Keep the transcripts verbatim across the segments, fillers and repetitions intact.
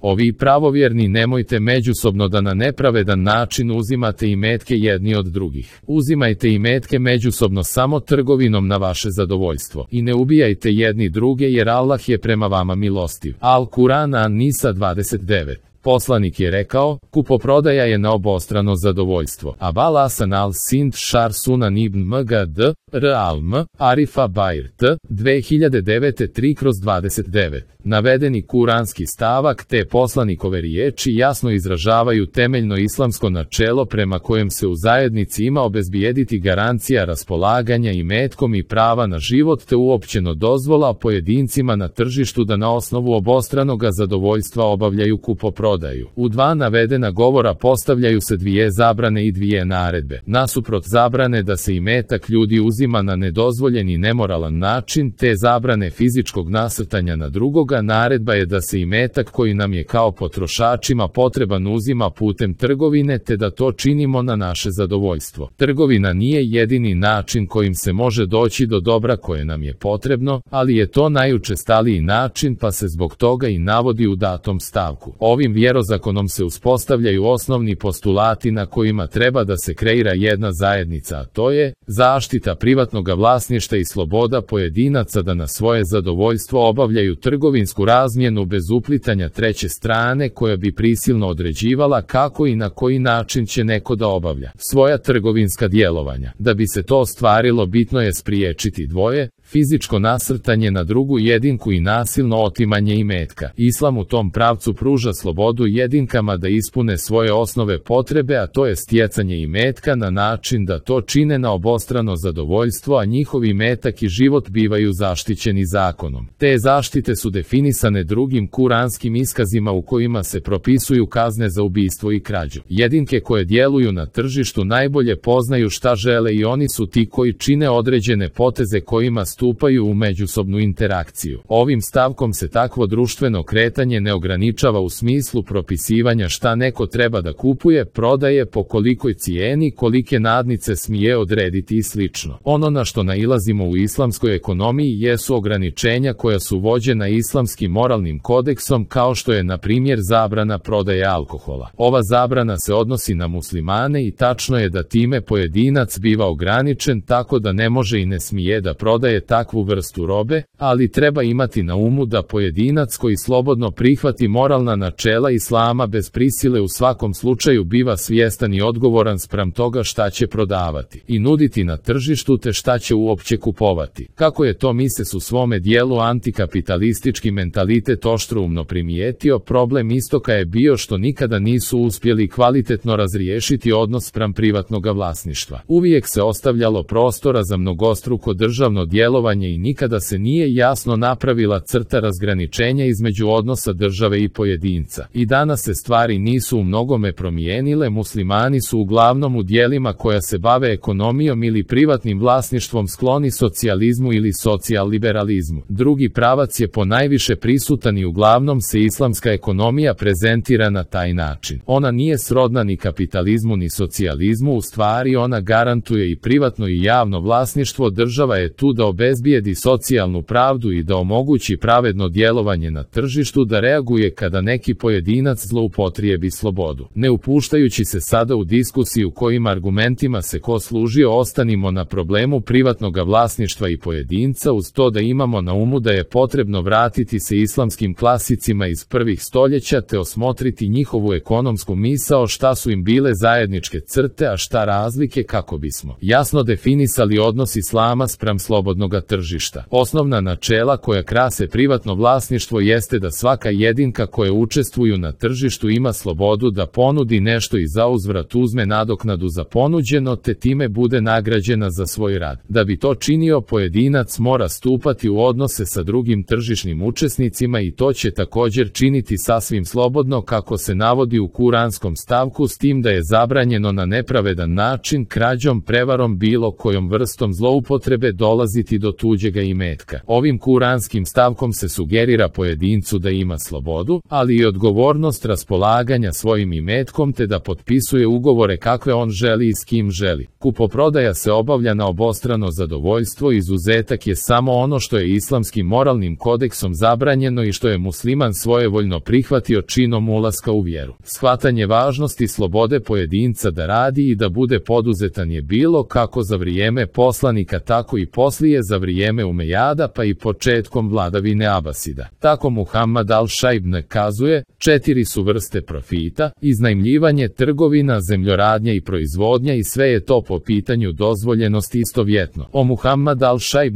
Ovi pravovjerni nemojte međusobno da na nepravedan način uzimate imetke jedni od drugih. Uzimajte imetke međusobno samo trgovinom na vaše zadovoljstvo. I ne ubijajte jedni druge jer Allah je prema vama milostiv. Al-Kuran An-Nisa dvadeset devet. Poslanik je rekao, kupoprodaja je na obostrano zadovoljstvo. Abul Hasan al-Sind Šar Sunan ibn Mgd, R al-M, Arifa Bajr T, dve hiljade devet tri kroz dvadeset devet. Navedeni kuranski stavak te poslanikove riječi jasno izražavaju temeljno islamsko načelo prema kojem se u zajednici ima obezbijediti garancija raspolaganja imetkom i prava na život te uopćeno dozvola pojedincima na tržištu da na osnovu obostranoga zadovoljstva obavljaju kupoprodaju. U dva navedena govora postavljaju se dvije zabrane i dvije naredbe. Nasuprot zabrane da se imetak ljudi uzima na nedozvoljen i nemoralan način te zabrane fizičkog nasrtanja na drugoga, naredba je da se imetak koji nam je kao potrošačima potreban uzima putem trgovine te da to činimo na naše zadovoljstvo. Trgovina nije jedini način kojim se može doći do dobra koje nam je potrebno, ali je to najučestaliji način pa se zbog toga i navodi u datom stavku. Ovim vjerozakonom se uspostavljaju osnovni postulati na kojima treba da se kreira jedna zajednica, a to je zaštita privatnog vlasništva i sloboda pojedinaca da na svoje zadovoljstvo obavljaju trgovinsku razmjenu bez uplitanja treće strane koja bi prisilno određivala kako i na koji način će neko da obavlja svoja trgovinska djelovanja. Da bi se to ostvarilo, bitno je spriječiti dvoje, fizičko nasrtanje na drugu jedinku i nasilno otimanje imetka. Islam u tom pravcu pruža slobodu jedinkama da ispune svoje osnove potrebe, a to je stjecanje imetka na način da to čine na obostrano zadovoljstvo, a njihov imetak i život bivaju zaštićeni zakonom. Te zaštite su definisane drugim kuranskim iskazima u kojima se propisuju kazne za ubistvo i krađu. Jedinke koje djeluju na tržištu najbolje poznaju šta žele i oni su ti koji čine određene poteze kojima stupaju u međusobnu interakciju. Ovim stavkom se takvo društveno kretanje ne ograničava u smislu propisivanja šta neko treba da kupuje, prodaje, po kolikoj cijeni, kolike nadnice smije odrediti i slično. Ono na što nailazimo u islamskoj ekonomiji jesu ograničenja koja su vođena islamskim moralnim kodeksom, kao što je na primjer zabrana prodaje alkohola. Ova zabrana se odnosi na muslimane i tačno je da time pojedinac biva ograničen tako da ne može i ne smije da prodaje takvu vrstu robe, ali treba imati na umu da pojedinac koji slobodno prihvati moralna načela islama bez prisile u svakom slučaju biva svjestan i odgovoran spram toga šta će prodavati i nuditi na tržištu te šta će uopće kupovati. Kako je to Mises u svome dijelu Antikapitalistički mentalitet oštroumno primijetio, problem istoka je bio što nikada nisu uspjeli kvalitetno razriješiti odnos spram privatnog vlasništva. Uvijek se ostavljalo prostora za mnogostruko državno djelovanje i nikada se nije jasno napravila crta razgraničenja između odnosa države i pojedinca. I danas se stvari nisu u mnogome promijenile, muslimani su uglavnom u dijelima koja se bave ekonomijom ili privatnim vlasništvom skloni socijalizmu ili socijal-liberalizmu. Drugi pravac je ponajviše prisutan i uglavnom se islamska ekonomija prezentira na taj način. Ona nije srodna ni kapitalizmu ni socijalizmu, u stvari ona garantuje i privatno i javno vlasništvo, država je tu da obezbijedi socijalnu pravdu i da omogući pravedno djelovanje na tržištu, da reaguje kada neki pojedinac zloupotrijebi slobodu. Ne upuštajući se sada u diskusiju kojim argumentima se ko služio, ostanimo na problemu privatnog vlasništva i pojedinca, uz to da imamo na umu da je potrebno vratiti se islamskim klasicima iz prvih stoljeća te osmotriti njihovu ekonomsku misao, šta su im bile zajedničke crte, a šta razlike, kako bismo jasno definisali odnos islama spram slobodnog tržišta. Osnovna načela koja krase privatno vlasništvo jeste da svaka jedinka koja učestvuju na tržištu ima slobodu da ponudi nešto i zauzvrat uzme nadoknadu za ponuđeno te time bude nagrađena za svoj rad. Da bi to činio, pojedinac mora stupati u odnose sa drugim tržišnim učesnicima i to će također činiti sasvim slobodno kako se navodi u kuranskom stavku, s tim da je zabranjeno na nepravedan način, krađom, prevarom, bilo kojom vrstom zloupotrebe dolaziti do do tuđega imetka. Ovim kuranskim stavkom se sugerira pojedincu da ima slobodu, ali i odgovornost raspolaganja svojim imetkom te da potpisuje ugovore kakve on želi i s kim želi. Kupoprodaja se obavlja na obostrano zadovoljstvo, izuzetak je samo ono što je islamskim moralnim kodeksom zabranjeno i što je musliman svojevoljno prihvatio činom ulaska u vjeru. Shvatanje važnosti slobode pojedinca da radi i da bude poduzetan je bilo kako za vrijeme poslanika tako i poslije za vrijeme Umejada pa i početkom vladavine Abasida. Tako Muhammad al-Šajb kazuje, četiri su vrste profita: iznajmljivanje, trgovina, zemljoradnja i proizvodnja, i sve je to po pitanju dozvoljenosti istovjetno. O Muhammad al-Šajb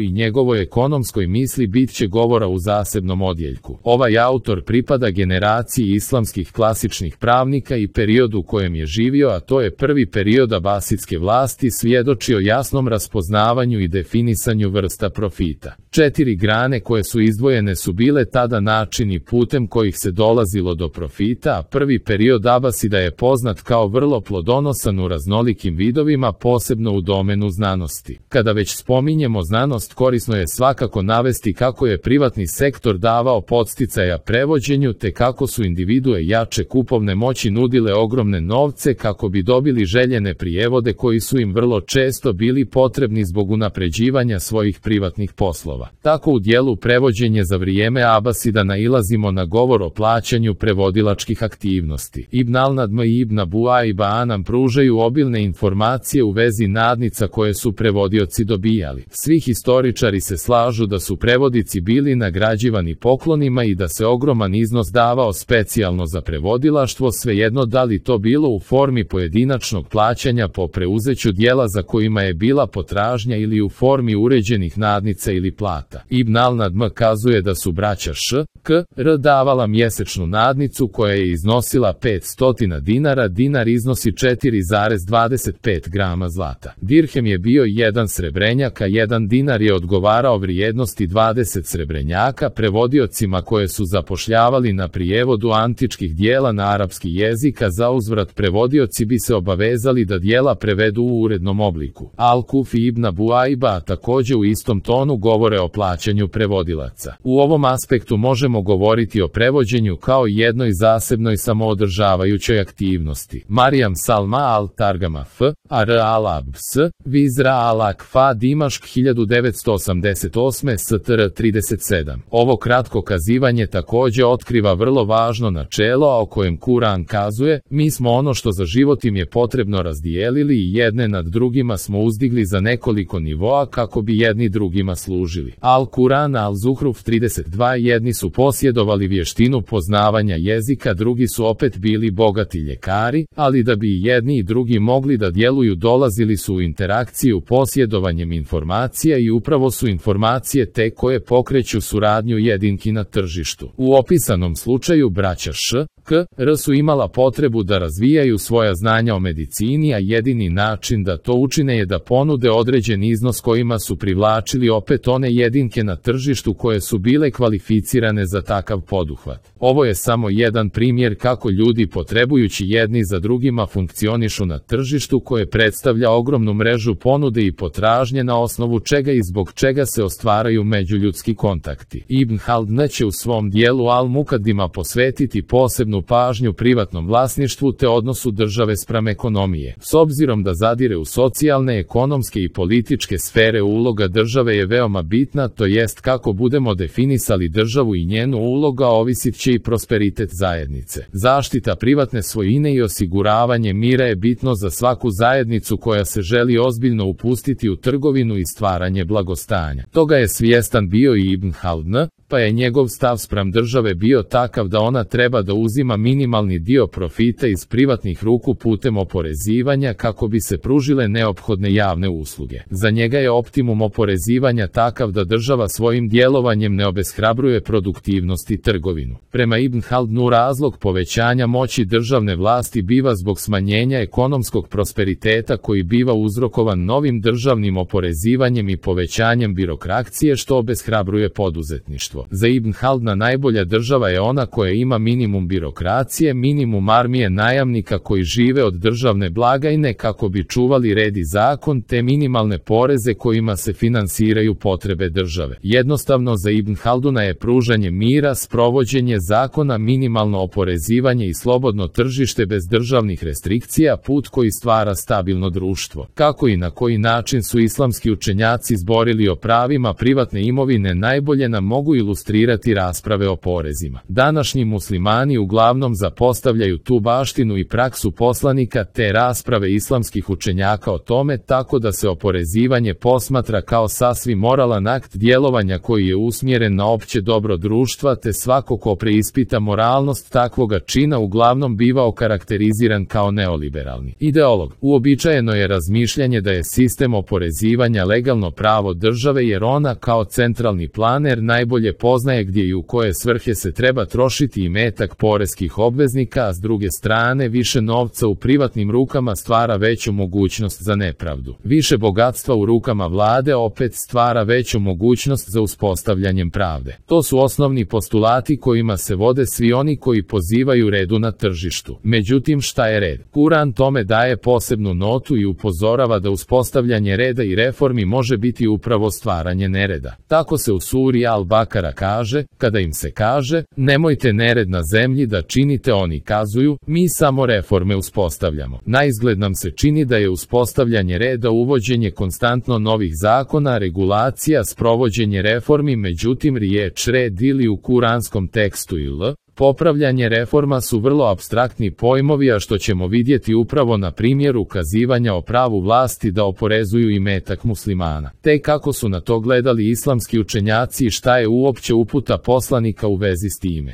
i njegovoj ekonomskoj misli bit će govora u zasebnom odjeljku. Ovaj autor pripada generaciji islamskih klasičnih pravnika i periodu u kojem je živio, a to je prvi period abasidske vlasti, svjedoči o jasnom raspoznavanju i definisanju vrsta profita. Četiri grane koje su izdvojene su bile tada načini putem kojih se dolazilo do profita, a prvi period Abasida je poznat kao vrlo plodonosan u raznolikim vidovima, posebno u domenu znanosti. Kada već spominjemo znanost, korisno je svakako navesti kako je privatni sektor davao podsticaja prevođenju, te kako su individue jače kupovne moći nudile ogromne novce kako bi dobili željene prijevode koji su im vrlo često bili potrebni zbog unapređivanja svojih privatnih poslova. Tako u dijelu prevođenje za vrijeme Abasida nailazimo na govor o plaćanju prevodilačkih aktivnosti. Ibn al-Nadm i Ibn Abu Aiba nam pružaju obilne informacije u vezi nadnica koje su prevodioci dobijali. Svi historičari se slažu da su prevodici bili nagrađivani poklonima i da se ogroman iznos davao specijalno za prevodilaštvo, svejedno da li to bilo u formi pojedinačnog plaćanja po preuzeću dijela za kojima je bila potražnja ili u formi uređenih nadnica ili plata. Ibn al-Nadm kazuje da su braća Š, K, R davala mjesečnu nadnicu koja je iznosila petsto dinara, dinar iznosi četiri zarez dvadeset pet grama zlata. Dirhem je bio jedan srebrenjak, a jedan dinar je odgovarao vrijednosti dvadeset srebrenjaka. Prevodiocima koje su zapošljavali na prijevodu antičkih dijela na arapski jezik, a za uzvrat prevodioci bi se obavezali da dijela prevedu u urednom obliku. Al-Kufi i Ibn Abu Aiba također u istom tonu govore o plaćanju prevodilaca. U ovom aspektu možemo govoriti o prevođenju kao jednoj zasebnoj samoodržavajućoj aktivnosti. Marijam Salma al-Targama F, A R al-Abs, Vizra al-Akfa, Dimašk hiljadu devetsto osamdeset osme, S T R trideset sedam. Ovo kratko kazivanje također otkriva vrlo važno načelo, o kojem Kuran kazuje: mi smo ono što za život im je potrebno razdijelili i jedne nad drugima smo uzdigli za nekoliko nivoa kako bi jedni drugima služili. Al-Kuran al-Zuhruf trideset dva. Jedni su posjedovali vještinu poznavanja jezika, drugi su opet bili bogati ljekari, ali da bi jedni i drugi mogli da djeluju dolazili su u interakciju posjedovanjem informacija i upravo su informacije te koje pokreću suradnju jedinki na tržištu. U opisanom slučaju braća Š, K, R su imala potrebu da razvijaju svoja znanja o medicini, a jedini način da to učine je da ponude određen iznos kojima su privlačili opet one jedinke na tržištu koje su bile kvalificirane za takav poduhvat. Ovo je samo jedan primjer kako ljudi potrebujući jedni za drugima funkcionišu na tržištu koje predstavlja ogromnu mrežu ponude i potražnje, na osnovu čega i zbog čega se ostvaraju međuljudski kontakti. Ibn Haldun će u svom dijelu Al-Mukaddima posvetiti posebnu pažnju privatnom vlasništvu te odnosu države spram ekonomije. S obzirom da zadire u socijalne, ekonomske i političke sfere, uloga države je veoma bitna, to jest kako budemo definisali državu i njenu uloga ovisit će i prosperitet zajednice. Zaštita privatne svojine i osiguravanje mira je bitno za svaku zajednicu koja se želi ozbiljno upustiti u trgovinu i stvaranje blagostanja. Toga je svjestan bio i Ibn Haldun, pa je njegov stav spram države bio takav da ona treba da uzima minimalni dio profita iz privatnih ruku putem oporezivanja kako bi se pružile neophodne javne usluge. Za njega je optimum oporezivanja takav da država svojim djelovanjem ne obeshrabruje produktivnost i trgovinu. Prema Ibn Haldunu razlog povećanja moći državne vlasti biva zbog smanjenja ekonomskog prosperiteta koji biva uzrokovan novim državnim oporezivanjem i povećanjem birokracije što obeshrabruje poduzetništvo. društvo. Za Ibn Halduna najbolja država je ona koja ima minimum birokracije, minimum armije najamnika koji žive od državne blagajne kako bi čuvali red i zakon, te minimalne poreze kojima se finansiraju potrebe države. Jednostavno za Ibn Halduna je pružanje mira, sprovođenje zakona, minimalno oporezivanje i slobodno tržište bez državnih restrikcija put koji stvara stabilno društvo. Kako i na koji način su islamski učenjaci zborili o pravima privatne imovine najbolje nam mogu ilustrirati rasprave o porezima. Današnji muslimani uglavnom zapostavljaju tu baštinu i praksu poslanika te rasprave islamskih učenjaka o tome, tako da se oporezivanje posmatra kao sasvim moralan akt djelovanja koji je usmjeren na opće dobro društva, te svako ko preispita moralnost takvoga čina uglavnom biva okarakteriziran kao neoliberalni ideolog. Uobičajeno je razmišljanje da je sistem oporezivanja legalno pravo države jer ona kao centralni planer najbolje poznaje gdje i u koje svrhe se treba trošiti imetak poreskih obveznika, a s druge strane više novca u privatnim rukama stvara veću mogućnost za nepravdu. Više bogatstva u rukama vlade opet stvara veću mogućnost za uspostavljanjem pravde. To su osnovni postulati kojima se vode svi oni koji pozivaju redu na tržištu. Međutim, šta je red? Kuran tome daje posebnu notu i upozorava da uspostavljanje reda i reformi može biti upravo stvaranje nereda. Tako se u suri Al-Bakara kaže, kada im se kaže, nemojte nered na zemlji da činite, oni kazuju, mi samo reforme uspostavljamo. Naizgled nam se čini da je uspostavljanje reda uvođenje konstantno novih zakona, regulacija, sprovođenje reformi, međutim riječ red ili u kuranskom tekstu ili popravljanje reforma su vrlo apstraktni pojmovi, a što ćemo vidjeti upravo na primjeru ukazivanja o pravu vlasti da oporezuju imetak muslimana. Te kako su na to gledali islamski učenjaci i šta je uopće uputa poslanika u vezi s time.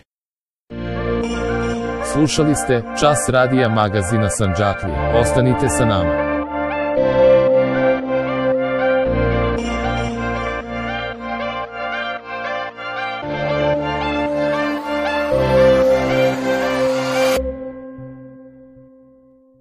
Slušali ste Čas radija magazina Sandžaklija. Ostanite sa nama.